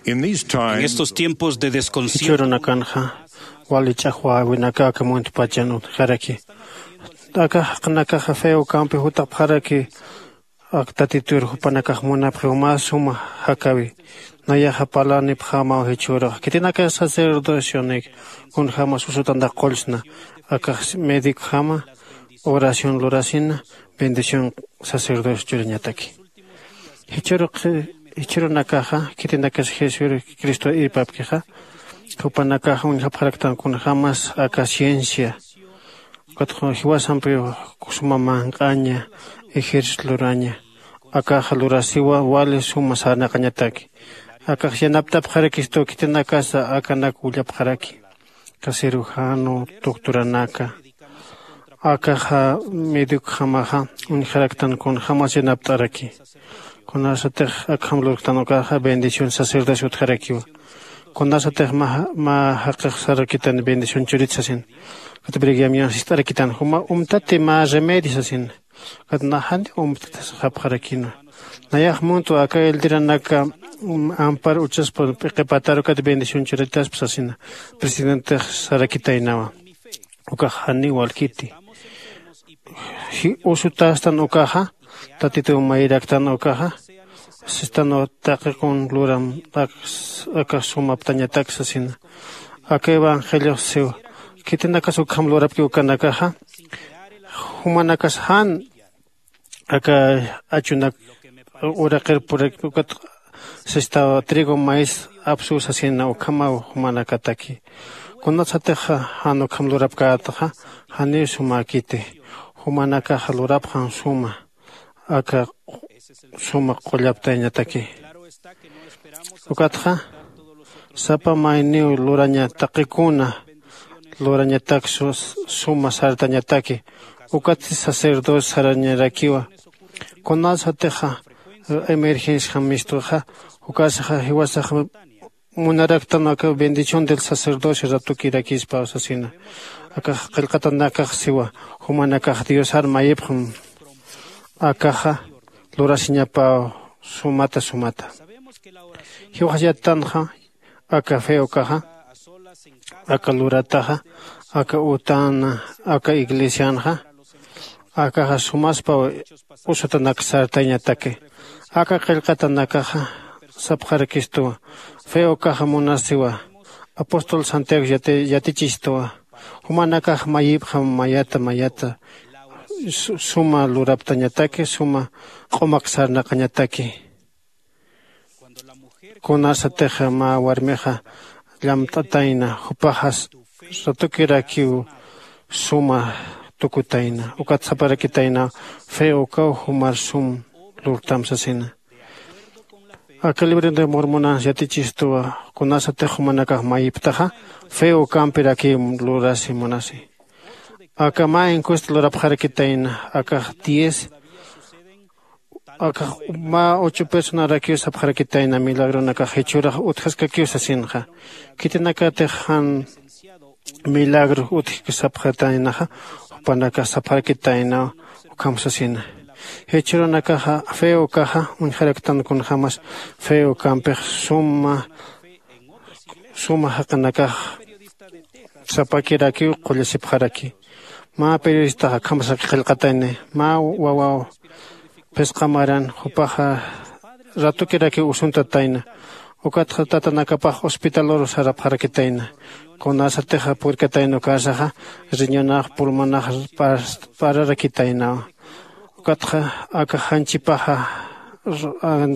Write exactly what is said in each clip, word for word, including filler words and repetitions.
En estos tiempos de desconcierto, jichhürunakanxa wali ch'axwäwinaka aka muntpachan utjaraki. Aka jaqinakaxa feo campi jutapxaraki. Ak tatitur jupanakax munapxiw mä suma jakäwi. Nayaxa parlanipxämaw jichhüruxa khitinaka sacerdocionik kunjämas usutantax qullsna. Akax médicojama oración lurasina bendición sacerdocio churañataki. Jichhürunakaxa khitinakas jesucristo irpapkixa jupanakaxa uñjapxaraktan kunjämas aka ciencia. Ukatxa jiwasampiw suma manq'aña ejército luraña. Akaxa lurasiwa wali suma sarnaqañataki. Akax yanaptapxarakistu khitinakasa akanak willapxaraki. Aka cirujano doctoranaka akaxa médicojamaxa uñjaraktan kunjämas yanapt'araki. Kunasatix akham lurktan ukaxa bendición sacerdocio utjarakiwa. Kunasatix mä jaqix sarakitan bendición churit sasin. Ukat brigamion sist'arakitan juma umtati mä remedio sasin. Ukat naxani umtati sapxarakina. Nayax muntwa aka eldiranaka ampar uchaspa p'iqipatar ukat bendición churitaspa sasina. Presidentix sarakitaynawa. Ukax janiw walkiti. Usutastan ukaxa tatituw mayiraktan ukaxa sistan taqikun luram. Aka sumaptañatak sasina. Aka evangeliox siw khitinakas ukham lurapki ukanakaxa jumanakas jan aka achunak uraqir purik ukat sistaw trigo maíz apsuw sasina ukhamaw jumanakataki. Kunasatixa jan ukham lurapkätaxa janiw sumäkiti. Jumanakaxa lurapxan suma aka suma qullaptayañataki. Ukatxa sapa mayniw luraña taqikuna lurañatak suma sartañataki. Ukatsti sacerdocio sarañarakiwa. Kunasatixa emergenciajam mistuxa ukasaxa jiwasaxa munaraktan aka bendición del sacerdocio ratukirakispa sasina. Akax qillqatanakax siwa jumanakax diosar mayipxam. Akaxa lurasiñapäw sumata sumata. Jiwaxayatanxa aka feokaxa aka lurataxa aka utana aka iglesianxa akaxa sumaspaw usutanak sartayañataki. Aka qillqatanakaxa sapxarakistuwa. Feokaxa munasiwa apóstol santiago yatichistuwa. Jumanakax mayipxam mayata mayata suma luraptañataki suma q'umak sarnaqañataki. Kunasatixa mä warmixa llamt'atayna jupaxas ratukirakiw suma tukutayna ukat saparakitayna. Fe ukaw jumar sum lurtam sasina. Aka libro de mormonas yatichistuwa. Kunasatix jumanakax mayiptaxa fe ukampirakiw lurasi munasi. Aka mä encuesta lurapxarakitayna akax diez akax mä ocho personarakiw sapxarakitayna milagronakax jichhürax utjaskakiw sasinxa. Khitinakatix jan milagro utjki sapxataynaxa jupanakax sapxarakitaynaw. Ukham sasina jichhürunakaxa fe ukaxa uñjaraktan kunjämas fe ukampix suma suma jaqinakax sapakirakiw qullasipxaraki. Mä periodistax akhamasaki qillqatayni mä wawaw phisqa maran jupaxa ratukirakiw usuntatayna. Ukatxa tatanakapax hospitalur sarapxarakitayna. Kunasatixa purkatayna ukasaxa riñonax pulmonax pararakitaynawa. Ukatxa aka janchipaxa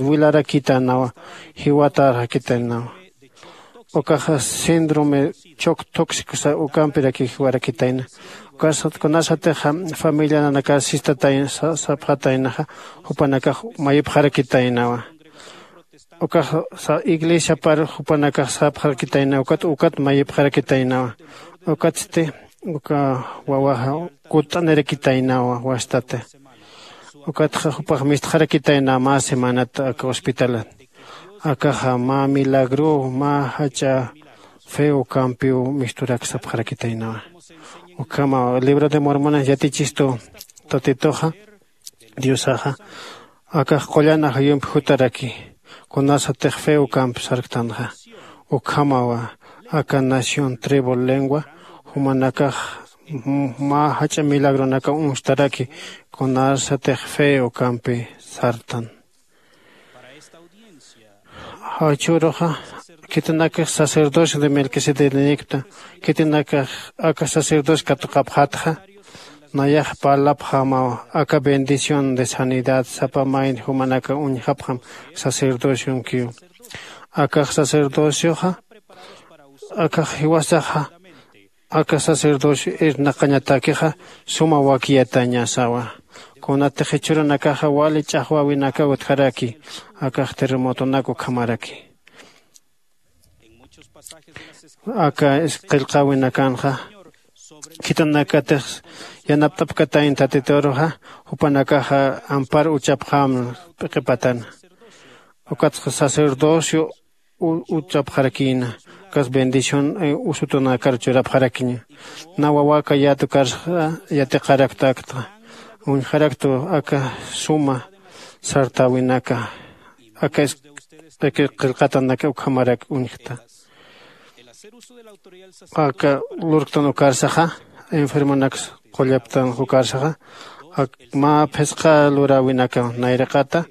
wilarakitaynawa. Jiwatarakitaynawa. Ukaxa síndrome choc tóxico ukampirakiw jiwarakitayna. Ukasat kunasatixa familia nanakax sistatayna sapxataynaxa jupanakax mayipxarakitaynawa. Ukaxa iglesiapar jupanakax sapxarakitaynawa ukat ukat mayipxarakitaynawa. Ukatsti uka wawaxa kutt'anirakitaynawa wastati. Ukatxa jupax mistxarakitaynawa mä semanat aka hospitalat. Akaxa mä milagruw mä jach'a fe ukampiw misturak sapxarakitaynawa. Ukhamaw libro de mormonas yatichistu tatituxa diosaxa akax qullan ajayumpi jutaraki. Kunasatix fe ukampi sarktanxa, ukhamawa aka nación tribu lengua jumanakax mä jach'a milagronaka uñstaraki. Kunasatix fe ukampi sartan. Jawchüruxa khitinakix sacerdocio de melquisedecta, khitinakax aka sacerdocio katuqapxatxa, nayax parlapxamaw aka bendición de sanidad sapa mayni jumanaka uñjapxam sacerdociomkiw. Akax sacerdocioxa akax jiwasaxa aka sacerdocio irnaqañatakixa suma wakiyatañasawa. Kunatix jichhürunakaxa wali ch'axwäwinaka utjaraki akax terremotonak ukhamaraki. Aka qillqäwinakanxa khitinakatix yanapt'apkatayn tatituruxa jupanakaxa ampar uchapxämna p'iqipatana. Ukatxa sacerdocio uchapxarakïna. Ukas bendición usutunakar churapxarakiña. Na wawaka yatukarsa yatiqaraktaktxa uñjaraktu aka suma sartäwinaka aka qillqatanaka ukhamarak uñjta. Aka lurktan ukarsaxa enfermonaks qullaptan ukarsaxa mä phisqa luräwinaka nayraqata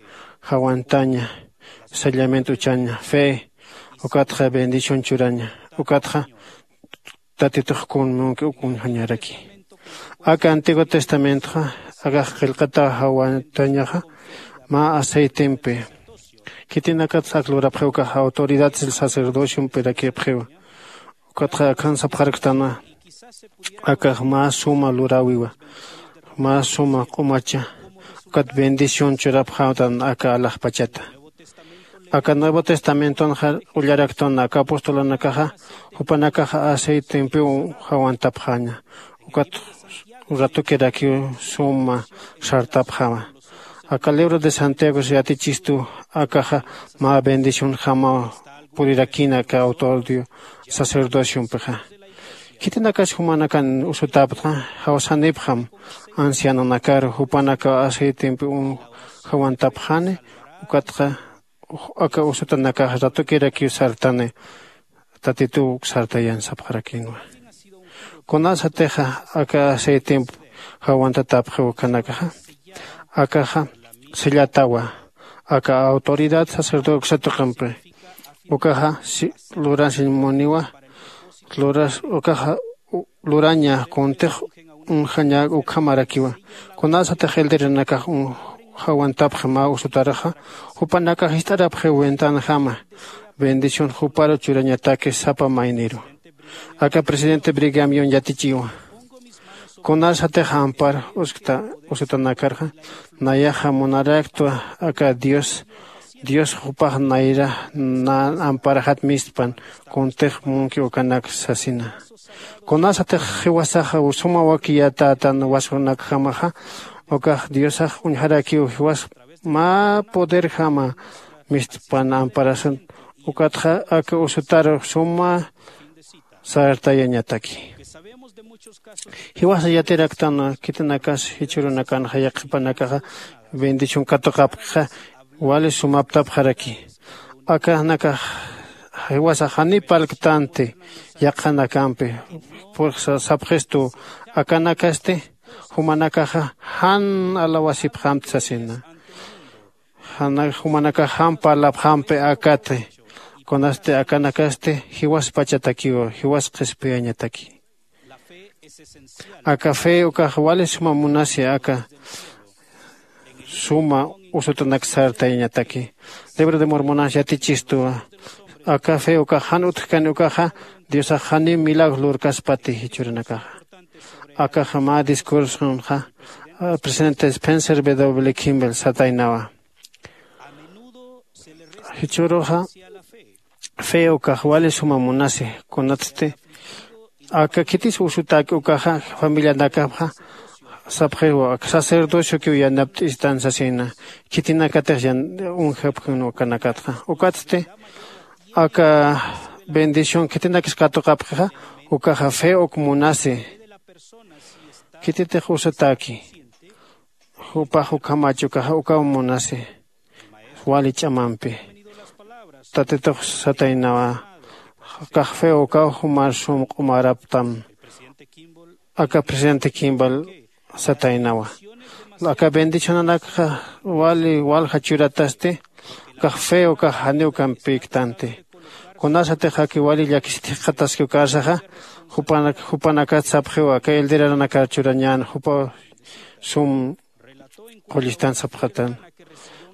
jawantaña. Sellamiento uchaña fe ukatxa bendición churaña. Ukatxa tatitux kun munki uk uñjañaraki. Aka antiguo testamentoxa akax qillqata jawantañaxa mä aceitempi. Khitinakatsa ak lurapxiw ukax autoridad sacerdociompirakiwapxiwa. Ukatxa akhan sapxarktanwa akax mä suma luräwiwa, mä suma q'umacha ukat bendición churapxäwtan aka alaxpachata. Aka nuevo testamentonxa ullaraktan aka apostolonakaxa jupanakaxa aceitempiw jawantapxäña. Ukat ratukirakiw suma sartapxäwa. Aka libro de santiagos yatichistu akaxa mä bendicionjamaw purirakïna aka autoridad sacerdociompixa. Khitinakas jumanakan usutäpxta jawsanipxam ancianonakaru jupanakaw aceitempi jawantapxani. Ukatxa aka usutanakax ratukirakiw sartani. Tatituw sartayan sapxarakïnwa. Kunasatixa aka aceitemp jawantatäpxiw ukanakaxa akaxa sellatawa aka autoridad sacerdocio uksa tuqimpi. Ukaxa lurasiñ muniwa luras ukaxa luraña kuntix uñjaña ukhamarakiwa. Kunasatix elderenakax jawantapxi mä usutaruxa jupanakax jist'arapxiw ventanajama bendición juparu churañataki sapa mayniru. Aka presidente brigamion yatichiwa kunasatix ampar uskta usutanakarxa nayaxa munaraktwa aka dios dios jupax nayra na amparajat mistpan kuntix munki ukanak sasina. Kunasatix jiwasaxa suma wakiyatätan waskunakjamaxa ukax diosax uñjarakiw jiwas mä poderjama mistpan amparasun. Ukatxa aka usutaru suma sartayañataki. Jiwasa yatiraktan khitinakas jichhürunakanxa yaqhipanakaxa bendición katuqapkixa wali sumaptapxaraki. Akanakax jiwasa janiw parlktanti yaqhanakampi. Pursa sapxistu akanakasti jumanakaxa jan alawasipxamti sasina. Jumanakax jan parlapxampi akati kunasti akanakasti jiwaspachatakiw jiwas qhispiyañataki. Aka fe ukax wali suma munasi aka suma usutanak sartayañataki. Libro de mormonas yatichistuwa aka fe ukax jan utjkani ukaxa diosax janiw milagro lurkaspati jichhürunakaxa. Akaxa mä discursunxa presidente spencer w kimbel sataynawa. Jichhüruxa fe ukax wali suma munasi kunatsti aka khitis usutäki ukaxa familianakapxa sapxiw aka sacerdociokiw yanapt'istan sasina. Khitinakatix uñjapxin ukanakatxa ukatsti aka bendición khitinakis katuqapxixa ukaxa fe uk munasi. Khititix usutäki jupax ukhamach ukaxa ukaw munasi wali ch'amampi. tatitux sataynawa. Kax feo ukaw jumar sum q'umaraptam. Aka presidente kimbal sataynawa. Aka bendicionanakxa wali walja churatasti. Kax feo kax janiw kampiktanti. Kunasatix aki wali llakisitixqataski ukarsaxa jupanakat sapxiw aka elderanakar churañän jupa sum qullistan sapxatan.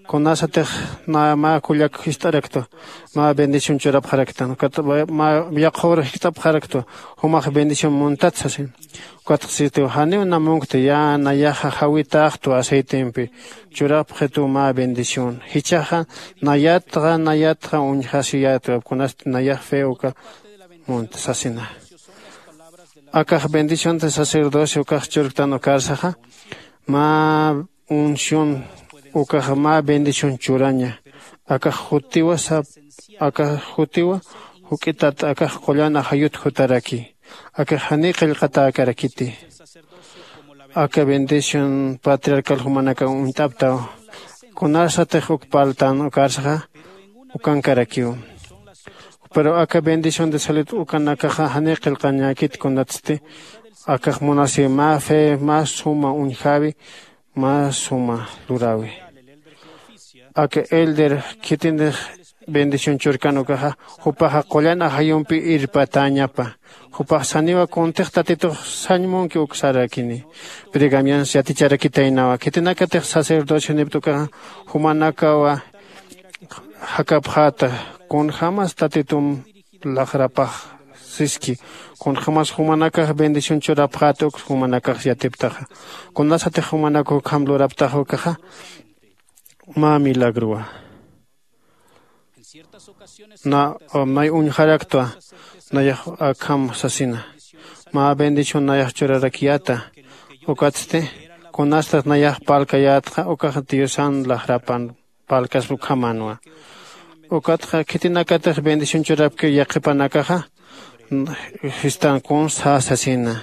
Kunasatix mä kullak jist'araktwa mä bendición churapxaraktan ukat mä yaqhur jist'apxaraktwa jumax bendición muntat sasin. Ukatxsitiw janiw namunkti ya nayaxa jawitaxtwa aceitempi churapxituw mä bendición jichhaxa nayatxa nayatxa uñjasiyätwa kunasti nayax fe uka munta sasina. Akax bendición de sacerdocio ukax churktan ukarsaxa mä unción ukax mä bendición churaña. Akax jutiwa sap akax jutiwa juk'itat akax qullan ajayut jutaraki. Akax janiy qillqatäkarakiti. Aka bendición patriarcal jumanakaw uñt'aptaw. Kunasatix uk parltan ukarsaxa ukankarakiw. Pero aka bendición de salud ukanakaxa janiy qillqañäkit kunatsti akax munasiw mä fe mä suma uñjäwi mä suma luräwi. Aka elder khitinix bendición churkan ukaxa jupaxa qullan ajayumpi irpatäñapa. Jupax saniwa kuntix tatitux sañ munki uksarakini. Brigamians yaticharakitaynawa khitinakatix sacerdocionipta ukaxa jumanakawa jakapxäta kunjämas tatitum laxrapax siski kunjämas jumanakax bendición churapxäta uk jumanakax yatiptaxa. Kunasatix jumanak ukham luraptaxa ukaxa mä milagrowa. Na may uñjaraktwa nayax akham sasina mä bendición nayax churarakiyäta. Ukatsti kunastat nayax parlkayätxa ukax diosan laxrapan parlkaspa ukhamänwa. Ukatxa khitinakatix bendición churapki yaqhipanakaxa sistan kuns sasina.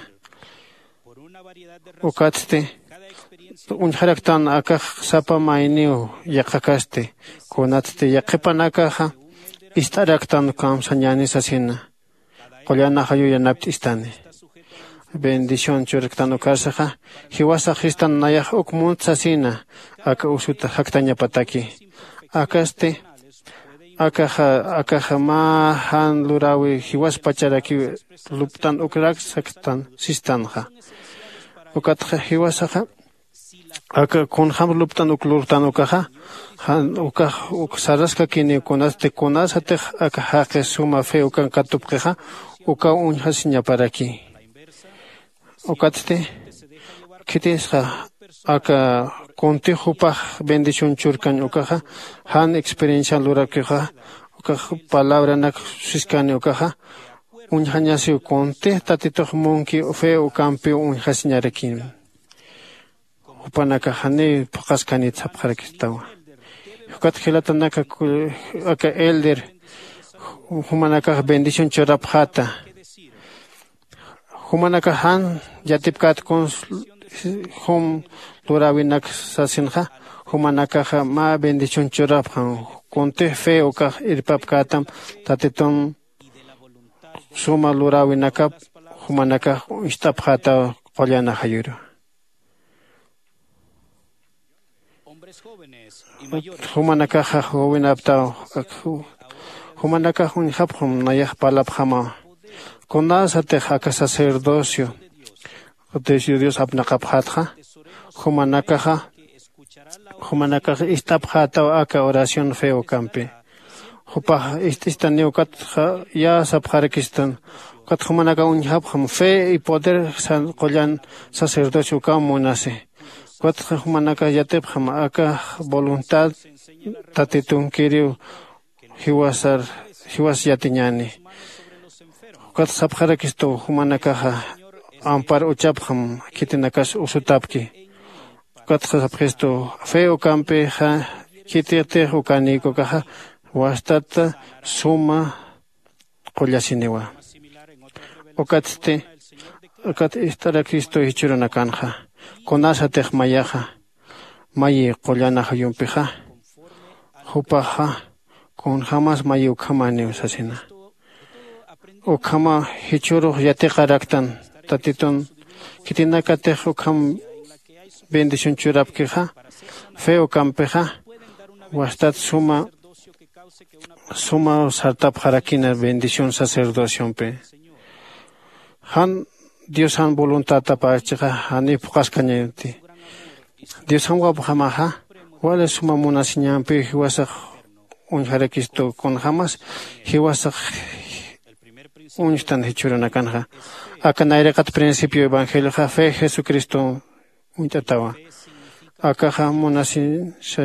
Ukatsti uñjaraktan akax sapa mayniw yaqhakasti kunatsti yaqhipanakaxa ist'araktan kamsañäni sasina. Qullan ajayu yanapt'istani bendición churaktan ukarsaxa jiwasax sistan nayax uk munt sasina. Aka usut jaktañapataki akasti akaxa akaxa mä jan luräwi jiwaspacharakiw lupt'an ukrak saktan sistanxa. Ukatxa jiwasaxa aka kunjäm lupt'an uk lurtan ukaxa jan ukax uk saraskakiniw kunasti kunasatix aka jaqi suma fe ukan katupxixa ukaw uñjasiñaparaki. Ukatsti khitisxa aka kuntix jupax bendición churkañ ukaxa jan experiencian lurakixa ukax palabranak siskani ukaxa uñjañasiw kuntix tatitux munki fe ukampiw uñjasiñarakin. Jupanakax janiw phuqhaskanit sapxarakistawa. Ukat jilatanaka aka elder jumanakax bendición churapxäta. Jumanakax jan yatipkät kuns jum luräwinak sasinxa jumanakaxa mä bendición churapxam. Kuntix fe ukax irpapkätam tatitun suma luräwinakap jumanakax uñst'apxätaw qullan ajayuru. Jumanakaxa jowinaptaw jumanakax uñjapxam nayax parlapxamaw. Kunasatix aka sacerdocio dios apnaqapxätxa jumanakaxa jumanakax ist'apxätaw aka oración fe ukampi. Jupax ist'istaniw ukat ya sapxarakistan ukat jumanakax uñjapxam fe y poder qullan sacerdocio ukaw munasi. Ukatxa jumanakax yatipxam aka voluntad tatitunkiriw jiwasar jiwas yatiñäni. Ukat sapxarakistu jumanakaxa ampar uchapxam khitinakas usutapki. Ukatxa sapxistu fe ukampixa khititix ukanïkukaxa wastata suma qullasiniwa. Ukatsti ukat ist'arakistu jichhürunakanxa kunasatix mayaxa mayi qullan ajayumpixa jupaxa Kunjämas mayi ukhamaniw sasina. Ukhama jichhürux yatiqaraktan tatitun khitinakatix ukham bendición churapkixa, fe ukampixa wastat suma suma sartapxarakina bendición sacerdociompi. Jan diosan voluntadtapachixa janiw phuqhaskañati. Diosan wawapxamaxa wali suma munasiñampiw jiwasax uñjarakistu kunjämas jiwasax uñstan jichhürunakanxa. Aka nayraqat principio evangelioxa fe jesucristo uñt'atawa. Akaxa munasisa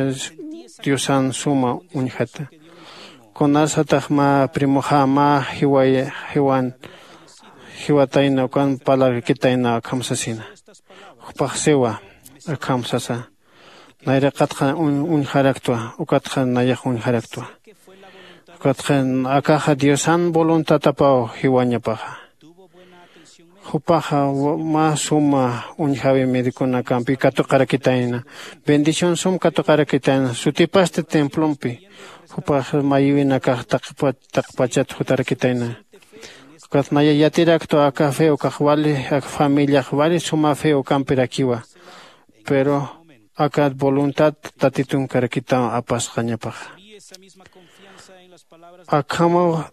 diosan suma uñjata. Kunasatax mä primoxa mä jiway jiwan jiwatayna ukan parlakitayna akham sasina. Jupax siwa akham sasa. Nayraqatxa uñjaraktwa ukatxa nayax uñjaraktwa. Ukatxa akaxa diosan voluntatapaw jiwañapaxa. Jupaxa mä suma uñjäwi mediconakampi katuqarakitayna. Bendición sum katuqarakitayna sutipasti templompi. Jupax mayïwinakax taqpachat jutarakitayna. Ukat naya yatiraktwa aka fe ukax wali aka familiax wali suma fe ukampirakiwa. Pero aka voluntad tatitun karakitaw apasqañapaxa. Akhamaw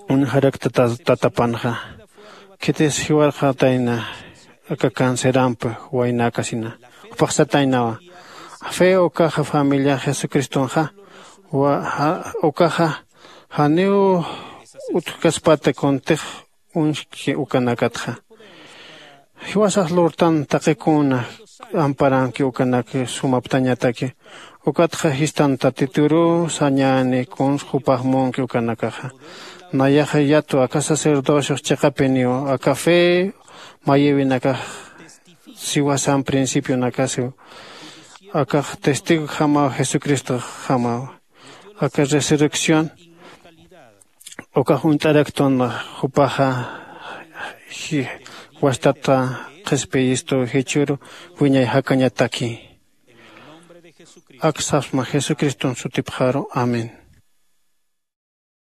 uñjarakta tatapanxa. Khitis jiwarxatayna aka cancerampi waynäkasina jupaxsataynawa. Fe ukaxa familia jesucristonxa ukaxa janiw utjkaspata kuntix uñjki ukanakatxa. Jiwasax lurtan taqi kuna amparanki ukanak sumaptañataki. Ukatxa jistan tatituruw sañäni kuns jupax munki ukanakaxa. Nayaxa yatwa aka sacerdociox chiqapiniw aka fe mayïwinakax siwasan principionakasiw. Akax testigojamaw jesucristoxamaw. Aka resurrección ukax uñt'araktun jupaxa wastata qhispiyistu jichhüru wiñay jakañataki. Aksasma jesucriston sutipxaru. Amén.